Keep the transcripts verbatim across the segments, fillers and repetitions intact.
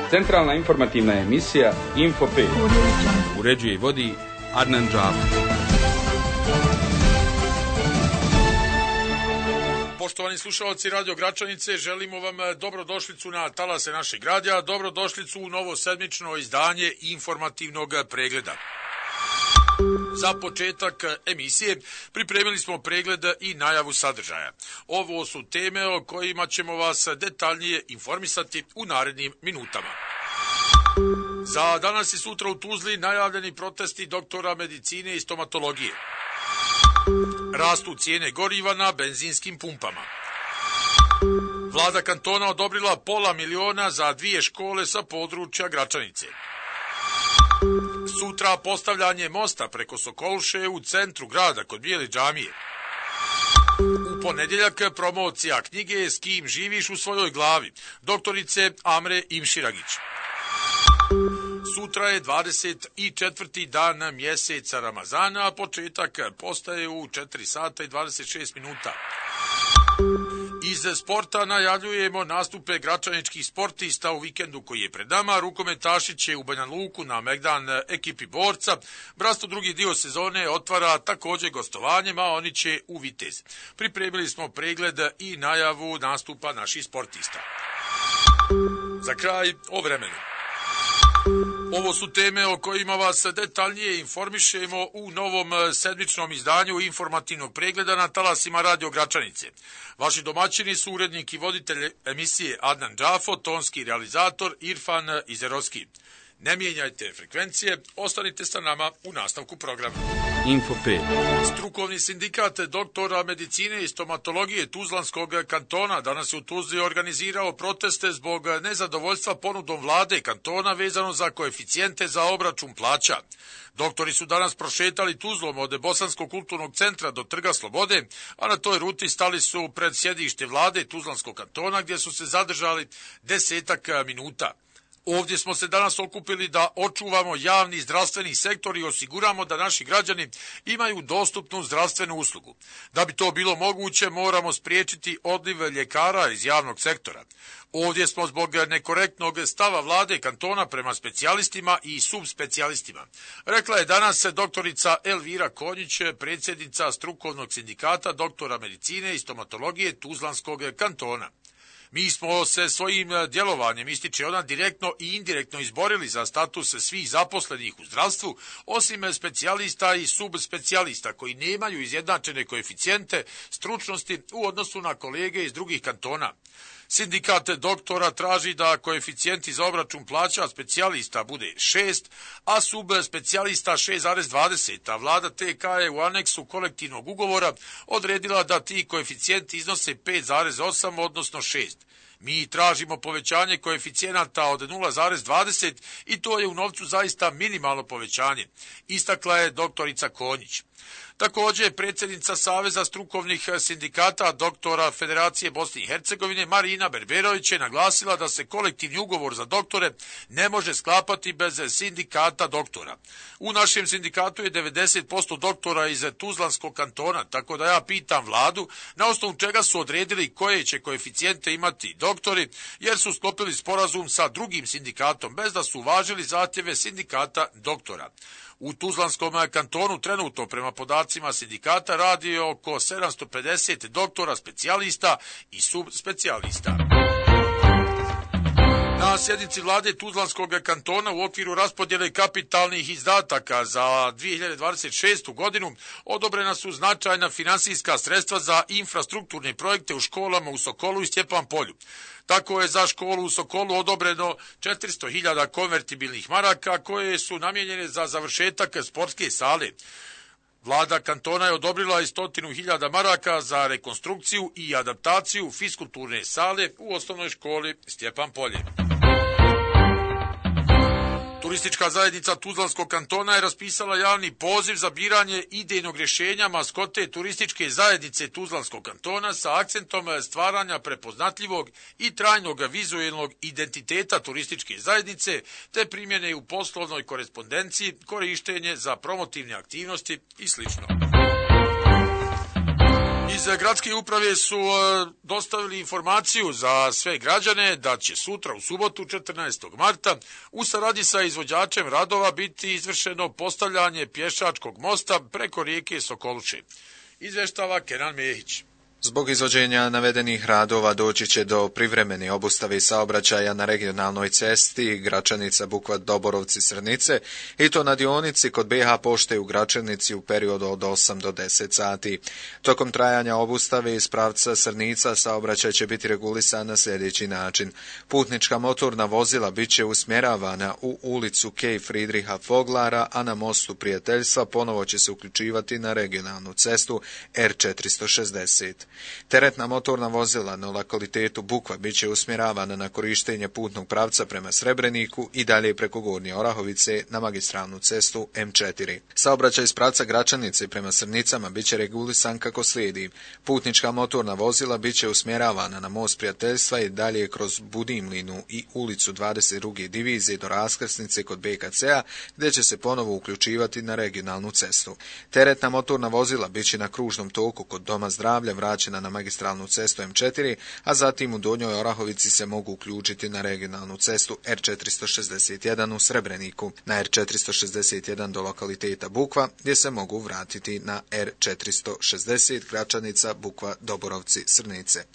Centralna informativna emisija Info pet. Uređuje i vodi Adnan Džafo. Poštovani slušalci Radio Gračanice, želimo vam dobrodošlicu na talase našeg radija, dobrodošlicu u novo sedmično izdanje informativnog pregleda. Za početak emisije pripremili smo pregled i najavu sadržaja. Ovo su teme o kojima ćemo vas detaljnije informisati u narednim minutama. Za danas i sutra u Tuzli najavljeni protesti doktora medicine i stomatologije. Rastu cijene goriva na benzinskim pumpama. Vlada kantona odobrila pola miliona za dvije škole sa područja Gračanice. Sutra postavljanje mosta preko Sokoluše u centru grada kod Bijele džamije. U ponedjeljak promocija knjige S kim živiš u svojoj glavi, doktorice Amre Imširagić. Sutra je dvadeset četvrti dan mjeseca Ramazana, a početak postaje u četiri sata i dvadeset šest minuta. Iz sporta najavljujemo nastupe gračaničkih sportista u vikendu koji je pred nama. Rukometaši će u Banja Luku na Megdan ekipi Borca. Brasto drugi dio sezone otvara također gostovanjem, a oni će u Vitez. Pripremili smo pregled i najavu nastupa naših sportista. Za kraj o vremenu. Ovo su teme o kojima vas detaljnije informišemo u novom sedmičnom izdanju informativnog pregleda na talasima Radio Gračanice. Vaši domaćini su urednik i voditelj emisije Adnan Džafo, tonski realizator Irfan Izerovski. Ne mijenjajte frekvencije, ostanite sa nama u nastavku programa. Info pet. Strukovni sindikat doktora medicine i stomatologije Tuzlanskog kantona danas je u Tuzli organizirao proteste zbog nezadovoljstva ponudom vlade kantona vezano za koeficijente za obračun plaća. Doktori su danas prošetali Tuzlom od Bosanskog kulturnog centra do Trga Slobode, a na toj ruti stali su pred sjedište vlade Tuzlanskog kantona gdje su se zadržali desetak minuta. Ovdje smo se danas okupili da očuvamo javni zdravstveni sektor i osiguramo da naši građani imaju dostupnu zdravstvenu uslugu. Da bi to bilo moguće, moramo spriječiti odliv ljekara iz javnog sektora. Ovdje smo zbog nekorektnog stava vlade kantona prema specijalistima i subspecijalistima. Rekla je danas doktorica Elvira Konjić, predsjednica strukovnog sindikata doktora medicine i stomatologije Tuzlanskog kantona. Mi smo se svojim djelovanjem, ističe ona, direktno i indirektno izborili za status svih zaposlenih u zdravstvu, osim specijalista i subspecijalista koji nemaju izjednačene koeficijente stručnosti u odnosu na kolege iz drugih kantona. Sindikat doktora traži da koeficijenti za obračun plaća specijalista bude šest, a subspecijalista šest zarez dvadeset, a vlada T K je u aneksu kolektivnog ugovora odredila da ti koeficijenti iznose pet zarez osam, odnosno šest. Mi tražimo povećanje koeficijenata od nula zarez dvadeset i to je u novcu zaista minimalno povećanje, istakla je doktorica Konjić. Također, predsjednica Saveza strukovnih sindikata doktora Federacije Bosne i Hercegovine Marina Berberović je naglasila da se kolektivni ugovor za doktore ne može sklapati bez sindikata doktora. U našem sindikatu je devedeset posto doktora iz Tuzlanskog kantona, tako da ja pitam vladu na osnovu čega su odredili koje će koeficijente imati doktori, jer su sklopili sporazum sa drugim sindikatom bez da su uvažili zahtjeve sindikata doktora. U Tuzlanskom kantonu trenutno prema podacima sindikata radi oko sedamsto pedeset doktora specijalista i subspecijalista. Na sjednici vlade Tuzlanskog kantona u okviru raspodjele kapitalnih izdataka za dvije hiljade dvadeset šestu godinu odobrena su značajna finansijska sredstva za infrastrukturne projekte u školama u Sokolu i Stjepan Polju. Tako je za školu u Sokolu odobreno četiristo hiljada konvertibilnih maraka koje su namijenjene za završetak sportske sale. Vlada kantona je odobrila i stotinu hiljada maraka za rekonstrukciju i adaptaciju fiskulturne sale u osnovnoj školi Stjepan Polje. Turistička zajednica Tuzlanskog kantona je raspisala javni poziv za biranje idejnog rješenja maskote turističke zajednice Tuzlanskog kantona sa akcentom stvaranja prepoznatljivog i trajnog vizualnog identiteta turističke zajednice te primjene u poslovnoj korespondenciji, korištenje za promotivne aktivnosti i sl. Iz gradske uprave su dostavili informaciju za sve građane da će sutra u subotu četrnaestog marta u saradnji sa izvođačem radova biti izvršeno postavljanje pješačkog mosta preko rijeke Sokoluše. Izvještava Kenan Mehić. Zbog izvođenja navedenih radova doći će do privremene obustave saobraćaja na regionalnoj cesti Gračanica-Bukva-Doborovci-Srnice i to na dionici kod be ha pošte u Gračanici u periodu od osam do deset sati. Tokom trajanja obustave iz pravca Srnica saobraćaj će biti regulisan na sljedeći način. Putnička motorna vozila bit će usmjeravana u ulicu Kej Fridriha Foglara, a na mostu Prijateljstva ponovo će se uključivati na regionalnu cestu er četiristo šezdeset. Teretna motorna vozila na lokalitetu Bukva bit će usmjeravana na korištenje putnog pravca prema Srebreniku i dalje preko Gornje Orahovice na magistralnu cestu em četiri. Saobraćaj iz pravca Gračanice prema Srnicama bit će regulisan kako slijedi. Putnička motorna vozila bit će usmjeravana na most Prijateljstva i dalje kroz Budimlinu i ulicu dvadeset druge divizije do raskrsnice kod be ka ce a, gdje će se ponovo uključivati na regionalnu cestu. Teretna motorna vozila bit će na kružnom toku kod Doma zdravlja vraćena na magistralnu cestu em četiri, a zatim u Donjoj Orahovici se mogu uključiti na regionalnu cestu er četiristo šezdeset jedan u Srebreniku, na er četiristo šezdeset jedan do lokaliteta Bukva, gdje se mogu vratiti na er četiristo šezdeset Gračanica, Bukva, Doborovci, Srnice.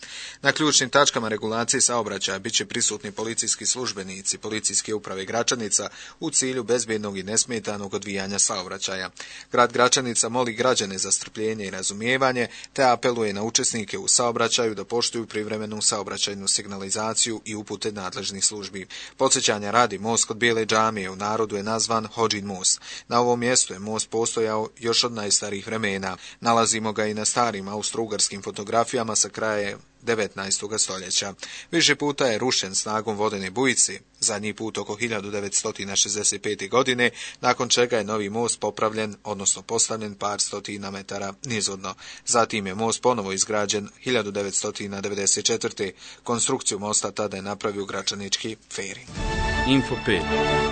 Na ključnim tačkama regulacije saobraćaja bit će prisutni policijski službenici Policijske uprave Gračanica u cilju bezbjednog i nesmetanog odvijanja saobraćaja. Grad Gračanica moli građane za strpljenje i razumijevanje, te apeluje na učesnike u saobraćaju da poštuju privremenu saobraćajnu signalizaciju i upute nadležnih službi. Podsjećanja radi, most kod Bijele džamije u narodu je nazvan Hodžin most. Na ovom mjestu je most postojao još od najstarijih vremena. Nalazimo ga i na starim austrougarskim fotografijama sa kraja devetnaestog stoljeća. Više puta je rušen snagom vodene bujice, zadnji put oko hiljadu devetsto šezdeset pete. godine, nakon čega je novi most popravljen, odnosno postavljen par stotina metara nizvodno. Zatim je most ponovo izgrađen hiljadu devetsto devedeset četvrte. Konstrukciju mosta tada je napravio gračanički feri. Info pet.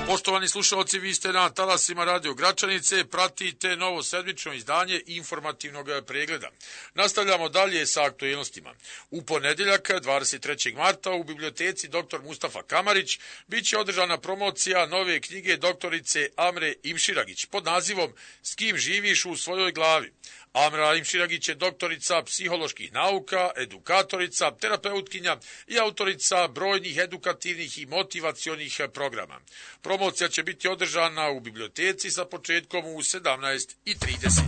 Poštovani slušalci, vi ste na talasima Radio Gračanice, pratite novo sedmično izdanje informativnog pregleda. Nastavljamo dalje sa aktualnostima. U ponedjeljak, dvadeset trećeg marta, u biblioteci doktor Mustafa Kamarić bit će održana promocija nove knjige doktorice Amre Imširagić pod nazivom S kim živiš u svojoj glavi. Amra Imširagić je doktorica psiholoških nauka, edukatorica, terapeutkinja i autorica brojnih edukativnih i motivacionih programa. Promocija će biti održana u biblioteci sa početkom u sedamnaest i trideset.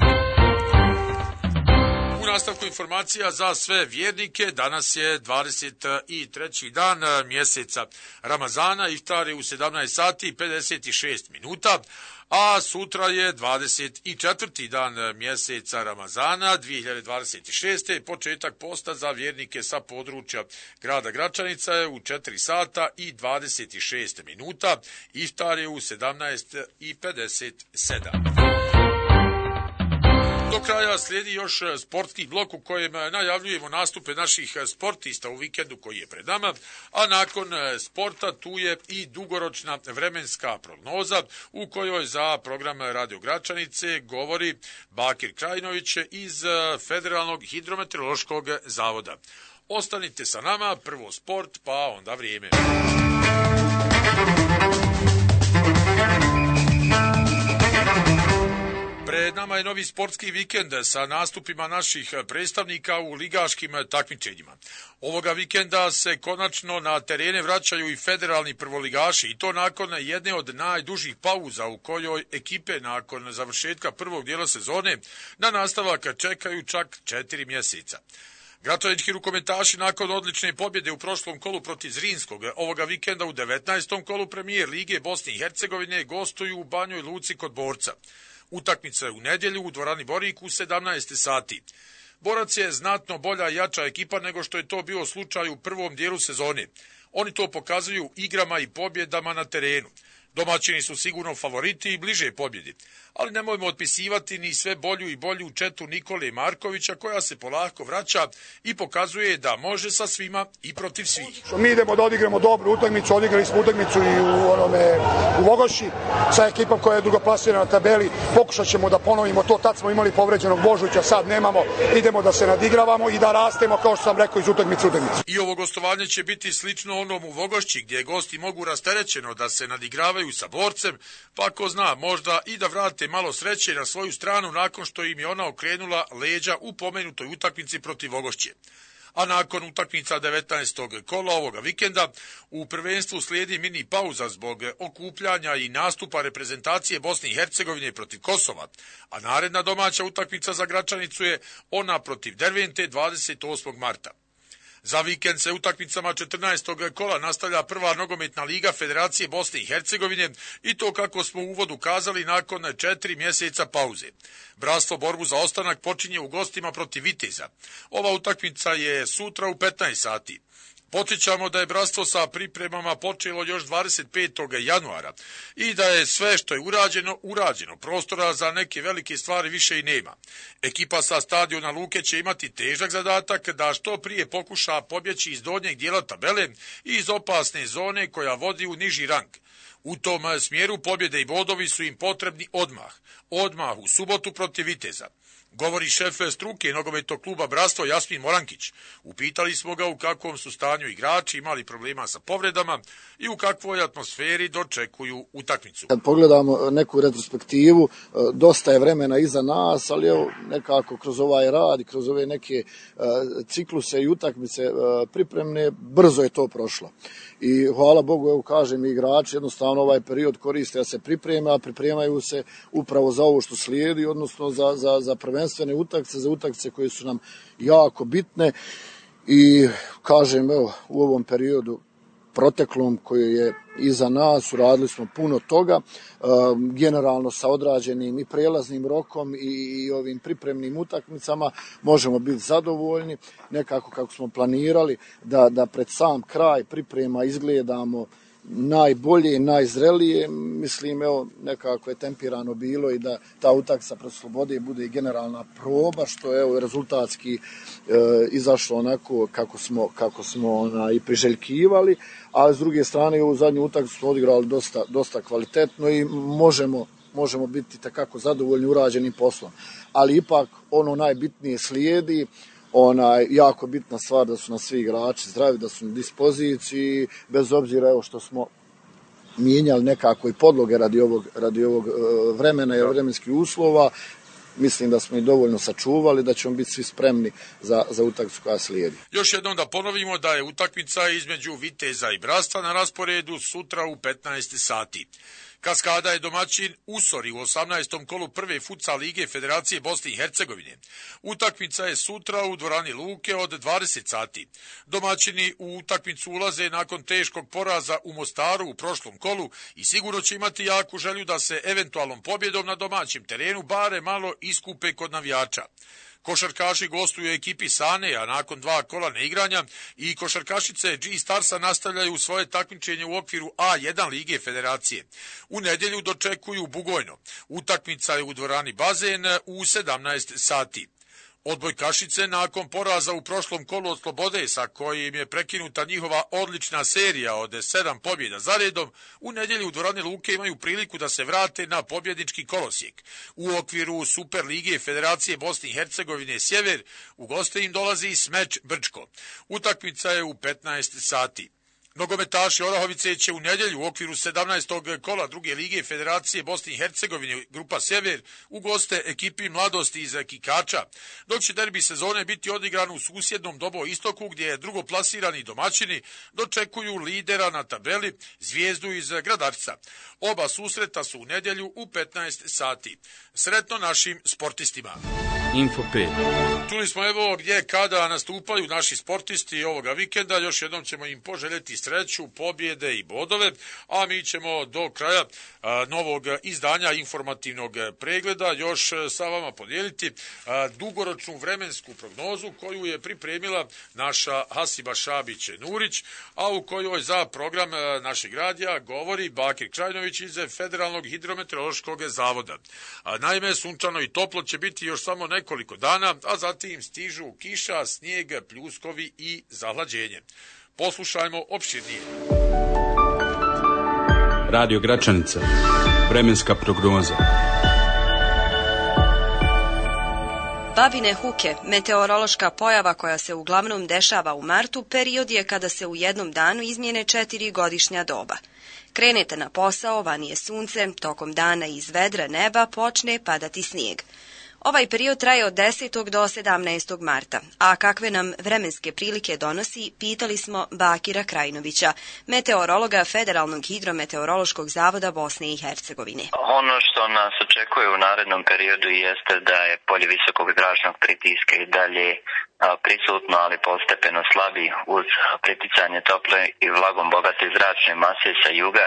U nastavku informacija za sve vjernike, danas je dvadeset treći dan mjeseca Ramazana, iftar je u sedamnaest sati i pedeset šest minuta, a sutra je dvadeset četvrti dan mjeseca Ramazana dvije hiljade dvadeset šeste. Početak posta za vjernike sa područja grada Gračanica je u četiri sata i dvadeset šest minuta, iftar je u sedamnaest i pedeset sedam. Do kraja slijedi još sportski blok u kojem najavljujemo nastupe naših sportista u vikendu koji je pred nama, a nakon sporta tu je i dugoročna vremenska prognoza u kojoj za program Radio Gračanice govori Bakir Krajinović iz Federalnog hidrometeorološkog zavoda. Ostanite sa nama, prvo sport, pa onda vrijeme. Pred nama je novi sportski vikend sa nastupima naših predstavnika u ligaškim takmičenjima. Ovoga vikenda se konačno na terene vraćaju i federalni prvoligaši i to nakon jedne od najdužih pauza u kojoj ekipe nakon završetka prvog dijela sezone na nastavak čekaju čak četiri mjeseca. Gračanički rukometaši nakon odlične pobjede u prošlom kolu protiv Zrinskog ovoga vikenda u devetnaestom kolu premijer Lige Bosne i Hercegovine gostuju u Banjoj Luci kod Borca. Utakmica je u nedjelju u dvorani Borik u sedamnaest sati. Borac je znatno bolja i jača ekipa nego što je to bio slučaj u prvom dijelu sezone. Oni to pokazuju igrama i pobjedama na terenu. Domaćini su sigurno favoriti i bliže pobjedi, ali nemojmo otpisivati ni sve bolju i bolju četu Nikole Markovića koja se polako vraća i pokazuje da može sa svima i protiv svih. Mi idemo da odigramo dobru utakmicu, odigrali smo utakmicu i u, onome, u Vogošći sa ekipom koja je drugoplasirana na tabeli, pokušat ćemo da ponovimo to, tad smo imali povređenog Božovića, sad nemamo, idemo da se nadigravamo i da rastemo kao što sam rekao iz utakmice u utakmicu. I ovo gostovanje će biti slično onom u Vogošći gdje gosti mogu rasterećeno da se nadigravaju sa borcem, pa ko zna možda i da vrate malo sreće na svoju stranu nakon što im je ona okrenula leđa u pomenutoj utakmici protiv Vogošće. A nakon utakmica devetnaestog kola ovoga vikenda u prvenstvu slijedi mini pauza zbog okupljanja i nastupa reprezentacije Bosne i Hercegovine protiv Kosova, a naredna domaća utakmica za Gračanicu je ona protiv Dervente dvadeset osmog marta. Za vikend se utakmicama četrnaestog kola nastavlja prva nogometna liga Federacije Bosne i Hercegovine i to kako smo u uvodu kazali nakon četiri mjeseca pauze. Bratstvo borbu za ostanak počinje u gostima protiv Viteza. Ova utakmica je sutra u petnaest sati. Podsjećamo da je bratstvo sa pripremama počelo još dvadeset petog januara i da je sve što je urađeno, urađeno. Prostora za neke velike stvari više i nema. Ekipa sa stadiona Luke će imati težak zadatak da što prije pokuša pobjeći iz donjeg dijela tabele i iz opasne zone koja vodi u niži rang. U tom smjeru pobjede i bodovi su im potrebni odmah. Odmah u subotu protiv Viteza. Govori šef struke nogometnog kluba Bratstvo Jasmin Morankić. Upitali smo ga u kakvom su stanju igrači, imali problema sa povredama i u kakvoj atmosferi dočekuju utakmicu. Kad pogledamo neku retrospektivu, dosta je vremena iza nas, ali evo nekako kroz ovaj rad i kroz ove neke cikluse i utakmice pripremne, brzo je to prošlo. I hvala Bogu, evo kažem, igrači jednostavno ovaj period koriste da se pripreme, a pripremaju se upravo za ovo što slijedi, odnosno za, za, za prvenstvene utakmice, za utakmice koje su nam jako bitne. I kažem, evo, u ovom periodu proteklom koji je iza nas, uradili smo puno toga, generalno sa odrađenim i prelaznim rokom i, i ovim pripremnim utakmicama možemo biti zadovoljni, nekako kako smo planirali, da, da pred sam kraj priprema izgledamo najbolje i najzrelije. Mislim, evo, nekako je tempirano bilo i da ta utakmica pred Slobode bude i generalna proba, što je evo rezultatski e, izašlo onako kako smo, kako smo ona, i priželjkivali, ali s druge strane u zadnju utakmicu smo odigrali dosta, dosta kvalitetno i možemo, možemo biti takako zadovoljni urađenim poslom. Ali ipak ono najbitnije slijedi. Ona jako bitna stvar da su na svi igrači zdravi, da su na dispoziciji, bez obzira evo što smo mijenjali nekako i podloge radi ovog, radi ovog vremena i vremenskih uslova. Mislim da smo i dovoljno sačuvali, da ćemo biti svi spremni za, za utakmicu koja slijedi. Još jednom da ponovimo da je utakmica između Viteza i Bratstva na rasporedu sutra u petnaest sati. Kaskada je domaćin Usori u osamnaestom kolu prve futsal lige Federacije Bosne i Hercegovine. Utakmica je sutra u dvorani Luke od dvadeset sati. Domaćini u utakmicu ulaze nakon teškog poraza u Mostaru u prošlom kolu i sigurno će imati jaku želju da se eventualnom pobjedom na domaćem terenu bare malo iskupe kod navijača. Košarkaši gostuju ekipi Sane, a nakon dva kola neigranja i košarkašice G-Starsa nastavljaju svoje takmičenje u okviru A jedan lige Federacije. U nedjelju dočekuju Bugojno. Utakmica je u dvorani Bazen u sedamnaest sati. Odbojkašice nakon poraza u prošlom kolu od Slobode, sa kojim je prekinuta njihova odlična serija od sedam pobjeda za redom, u nedjelju u dvorani Luke imaju priliku da se vrate na pobjednički kolosijek. U okviru Super lige Federacije Bosne i Hercegovine Sjever u goste im dolazi Smeč Brčko. Utakmica je u petnaest sati. Nogometaši Orahovice će u nedjelju u okviru sedamnaestog kola druge lige Federacije Bosne i Hercegovine Grupa Sjever u goste ekipi Mladosti iz Kikača, dok će derbi sezone biti odigran u susjednom Dobo Istoku gdje je drugoplasirani domaćini dočekuju lidera na tabeli Zvijezdu iz Gradarca. Oba susreta su u nedjelju u petnaest sati. Sretno našim sportistima! Info pet. Čuli smo evo gdje kada nastupaju naši sportisti ovoga vikenda, još jednom ćemo im poželjeti sreću, pobjede i bodove, a mi ćemo do kraja a, novog izdanja informativnog pregleda još sa vama podijeliti a, dugoročnu vremensku prognozu koju je pripremila naša Hasiba Šabić-Nurić, a u kojoj za program a, našeg radija govori Bakir Krajnović iz Federalnog hidrometeorološkog zavoda. A, naime, sunčano i toplo će biti još samo nekoliko dana, a zatim stižu kiša, snijeg, pljuskovi i zahlađenje. Poslušajmo opširnije. Radio Gračanica. Vremenska prognoza. Babine huke, meteorološka pojava koja se uglavnom dešava u martu, period je kada se u jednom danu izmijene četiri godišnja doba. Krenete na posao, vani je sunce, tokom dana iz vedra neba počne padati snijeg. Ovaj period traje od desetog do sedamnaestog marta, a kakve nam vremenske prilike donosi, pitali smo Bakira Krajnovića, meteorologa Federalnog hidrometeorološkog zavoda Bosne i Hercegovine. Ono što nas očekuje u narednom periodu jeste da je polje visokog zračnog pritiska i dalje prisutno, ali postepeno slabi uz priticanje tople i vlagom bogate zračne mase sa juga.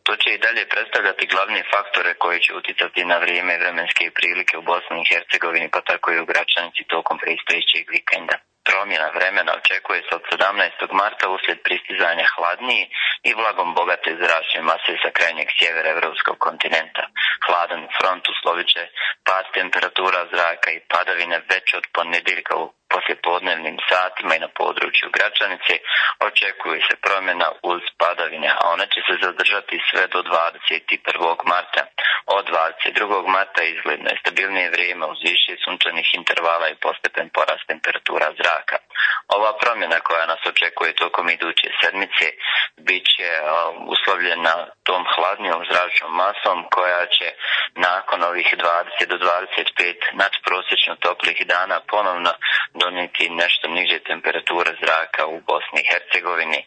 To će i dalje predstavljati glavne faktore koji će uticati na vrijeme vremenske prilike u Bosni i Hercegovini, pa tako i u Gračanici tokom predstojećeg vikenda. Promjena vremena očekuje se od sedamnaestog marta uslijed pristizanja hladnije i vlagom bogate zračne mase sa krajnjeg sjevera evropskog kontinenta. Hladan front uslovit će pad temperatura zraka i padavine već od ponedjeljka u poslijepodnevnim satima i na području Gračanice. Očekuje se promjena uz padavine, a ona će se zadržati sve do dvadeset prvog marta. Od dvadeset drugog marta izgledno je stabilnije vrijeme uz više sunčanih intervala i postepen porast temperatura zraka. Ova promjena koja nas očekuje tokom iduće sedmice bit će uh, uslovljena tom hladnijom zračnom masom koja će nakon ovih dvadeset do dvadeset pet nadprosječno toplih dana ponovno donijeti nešto niže temperature zraka u Bosni i Hercegovini.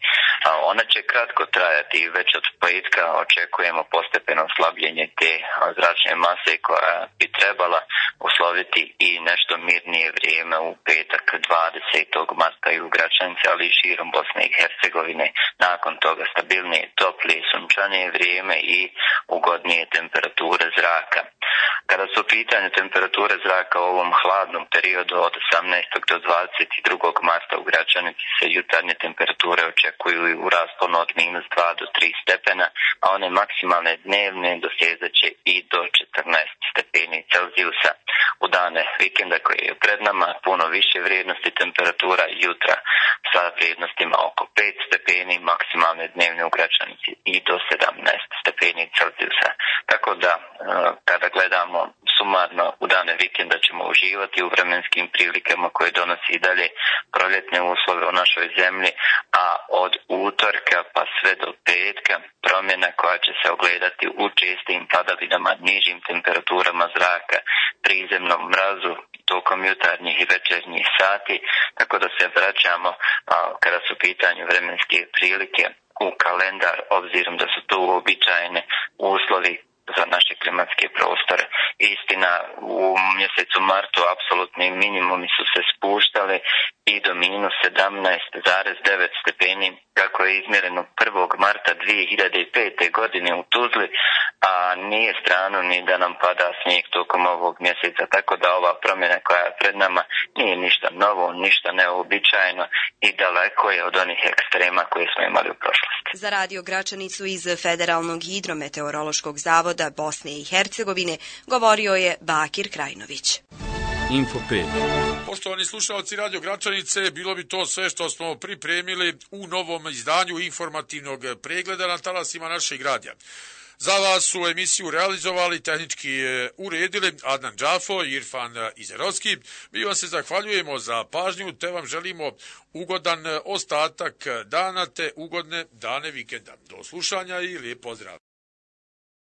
A ona će kratko trajati i već od petka očekujemo postepeno slabljenje te zračne mase koja bi trebala usloviti i nešto mirnije vrijeme u petak dvadesetog marta i u Gračanici, ali i širom Bosne i Hercegovine. Nakon toga stabilnije, toplije, sunčanije vrijeme i ugodnije temperature zraka. Kada su u pitanju temperature zraka u ovom hladnom periodu od osamnaestog do dvadeset drugog marta u Gračanici se jutarnje temperature očekuju u rasponu od minus dva do tri stepena, a one maksimalne dnevne dosezaće i do četrnaest stepeni Celzijusa. U dane vikenda koji je pred nama puno više vrijednosti temperatura jutra sa vrijednostima oko pet stepeni, maksimalne dnevne u Gračanici i do sedamnaest stepeni Celzijusa. Tako da kada gledamo sumarno u dane vikenda ćemo uživati u vremenskim prilikama koje donosi i dalje proljetne uslove u našoj zemlji, a od utorka pa sve do petka promjena koja će se ogledati u čestim padavinama, nižim temperaturama zraka, prizemnom mrazu tokom jutarnjih i večernjih sati, tako da se vraćamo a, kada su u pitanju vremenske prilike u kalendar, obzirom da su to uobičajene uslovi za naše klimatske prostore. Istina, u mjesecu martu apsolutni minimumi su se spuštali i do minus sedamnaest zarez devet stepeni, kako je izmjereno prvog marta dvije hiljade pete. godine u Tuzli, a nije strano ni da nam pada snijeg tokom ovog mjeseca, tako da ova promjena koja je pred nama nije ništa novo, ništa neobičajno i daleko je od onih ekstrema koje smo imali u prošlosti. Za Radio Gračanicu iz Federalnog hidrometeorološkog zavoda Bosne i Hercegovine govorio je Bakir Krajnović. Info pet. Poštovani slušalci Radio Gračanice, bilo bi to sve što smo pripremili u novom izdanju informativnog pregleda na talasima našeg radija. Za vas su emisiju realizovali, tehnički uredili Adnan Džafo i Irfan Izerovski. Mi vam se zahvaljujemo za pažnju, te vam želimo ugodan ostatak dana te ugodne dane vikenda. Do slušanja i lijep pozdrav.